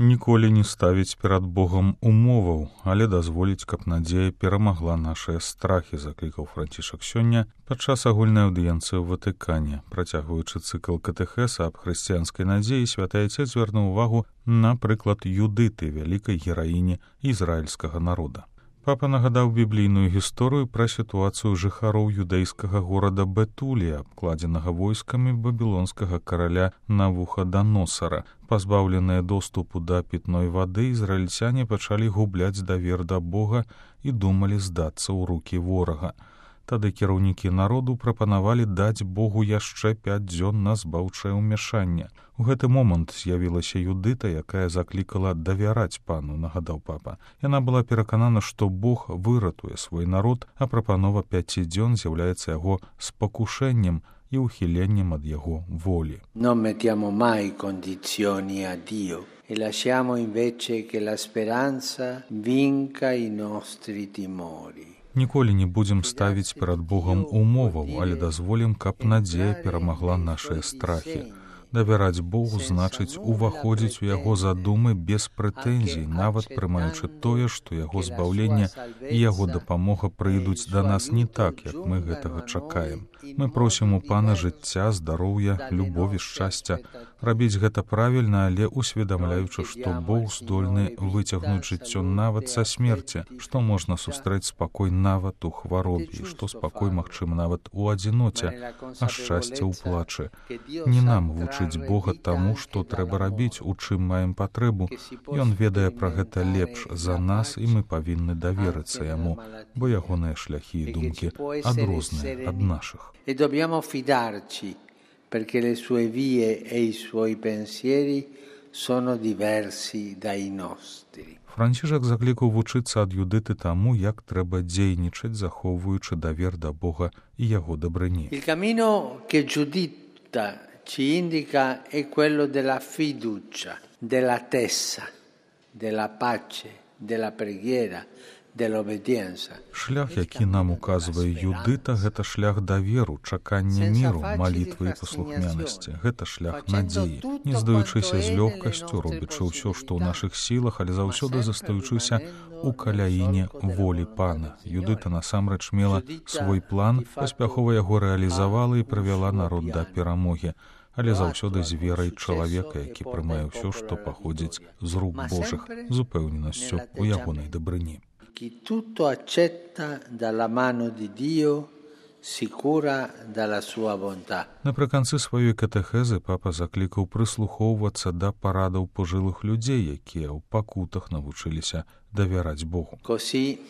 Ніколі не ставіць перад Богам умоваў, але дазволіць, каб надзея перамагла нашыя страхі, заклікаў Францішак сёння падчас агульнай аўдыенцыі ў Ватыкане. Працягваючы цыкл катэхеса аб хрысціянскай надзеі, святы Айцец звярнуў увагу на прыклад Юдыты, вялікай гераіні ізраільскага народа. Папа нагадаў біблійную гісторыю пра сітуацыю жыхароў юдэйскага горада Бетулія, абкладзенага войскамі бабілонскага караля Навуходаносара. Пазбаўленыя доступу да пітной вады, ізраільцяне пачалі губляць давер да Бога і думалі здацца ў рукі ворага. Тады кіраўнікі народу прапанавалі даць Богу яшчэ 5 дзён на збаўчае ўмяшанне. У гэты момант з'явілася Юдыта, якая заклікала давяраць пану, нагадаў папа. Яна была пераканана, што Бог выратуе свой народ, а прапанова 5 дзён з'яўляецца яго спакушэннем і ухіленнем ад яго волі. Non mettiamo mai condizioni a Dio e lasciamo invece che la speranza vinca i nostri timori. Ніколі не будзем ставіць перад Богам умоваў, але дазволім, каб надзея перамагла нашыя страхі. Давяраць Богу значыць уваходзіць у яго задумы без прэтэнзій, нават прымаючы тое, што яго збаўленне і яго дапамога прыйдуць да нас не так, як мы гэтага чакаем. Мы просім у пана жыцця, здароўя, любові, шчасця. Рабіць гэта правільна, але усведамляючы, што Бог здольны выцягнуць жыццё нават са смерці, што можна сустрэць спакой нават у хваробе, і што спакой магчым нават у адзіноце, а шчасце ў плачы. Не нам вучыць Бога таму, што трэба рабіць, у чым маем патрэбу. Ён ведае пра гэта лепш за нас, і мы павінны даверыцца яму, бо ягоныя шляхі і думкі адрозныя ад нашых. E dobbiamo fidarci perché le sue vie e i suoi pensieri sono diversi dai nostri. Францішак заклікаў вучыцца ад Юдыты таму, як трэба дзейнічаць, захоўваючы давер да Бога і яго дабрыні. Il cammino che Giuditta ci indica è quello della fiducia, dell'attesa, della pace, della preghiera, dell'obbedienza. Шлях, які нам указвае Юдыта, гэта шлях даверу, чакання міру, малітвы і паслухмянасці. Гэта шлях надзеі. Не здаючыся з лёгкасцю, робячы ўсё, што ў нашых сілах, але заўсёды застаючыся у каляіне волі пана. Юдыта насамрэч мела свой план, паспяхова яго рэалізавала і прывяла народ да перамогі. Але заўсёды з верай чалавека, які прымае ўсё, што паходзіць з рук Божых, з упэўненасцю у ягонай дабрыні. Chi tutto accetta dalla mano di Dio, sicura dalla sua bontà. Напрыканцы сваёй катэхезы папа заклікаў прыслухоўвацца да парадаў пажылых людзей, якія ў пакутах навучыліся давяраць Богу. Così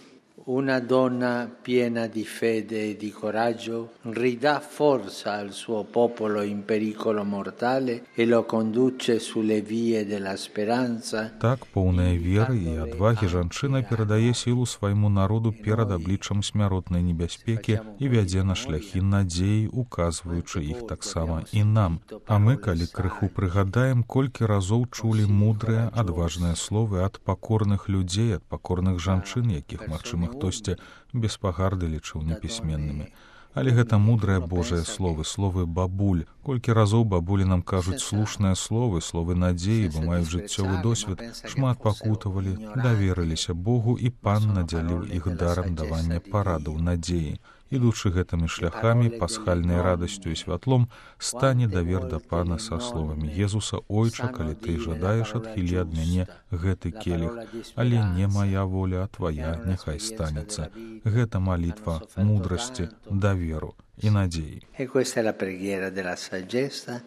una donna piena di fede e di coraggio ridà forza al suo popolo in pericolo mortale e lo conduce sulle vie della speranza. Так, поўная веры і адвагі жанчына перадае сілу свайму народу перад абліччам смяротнай небяспекі і вядзе на шляхі надзеі, указваючы іх таксама і нам. А мы, калі крыху прыгадаем, колькі разоў чулі мудрыя, адважныя словы ад пакорных людзей, ад пакорных жанчын, якіх, магчыма, хтосьці без пагарды лічыў непісьменнымі. Але гэта мудрыя Божыя словы, словы бабуль. Колькі разоў бабулі нам кажуць слушныя словы, словы надзеі, бо маюць жыццёвы досвед, шмат пакутавалі, даверыліся Богу, і пан надзяліў іх дарам давання парадаў надзеі. Ідучы гэтымі шляхамі, пасхальнай радасцю і святлом, стане давер да пана са словамі Езуса: «Ойча, калі ты жадаеш, адхілі ад мяне гэты келіх, але не моя воля, а твоя няхай станецца». Гэта малітва мудрасці, даверу і надзеі. E questa è la preghiera della saggezza,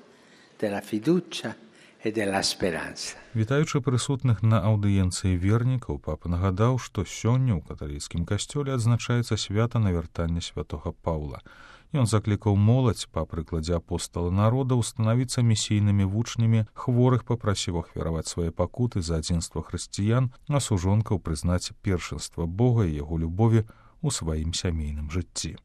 della fiducia e della speranza. Вітаючы прысутных на аўдыенцыі вернікаў, папа нагадаў, што сёння ў каталіцкім касцёле адзначаецца свята навяртання святога Паўла. Ён заклікаў моладзь, па прыкладзе апостала народа, становіцца місійнымі вучнямі, хворых папрасіў ахвяраваць свае пакуты за адзінства хрысціян, а сужонкаў прызнаць першынства Бога і яго любові ў сваім сямейным жыцці.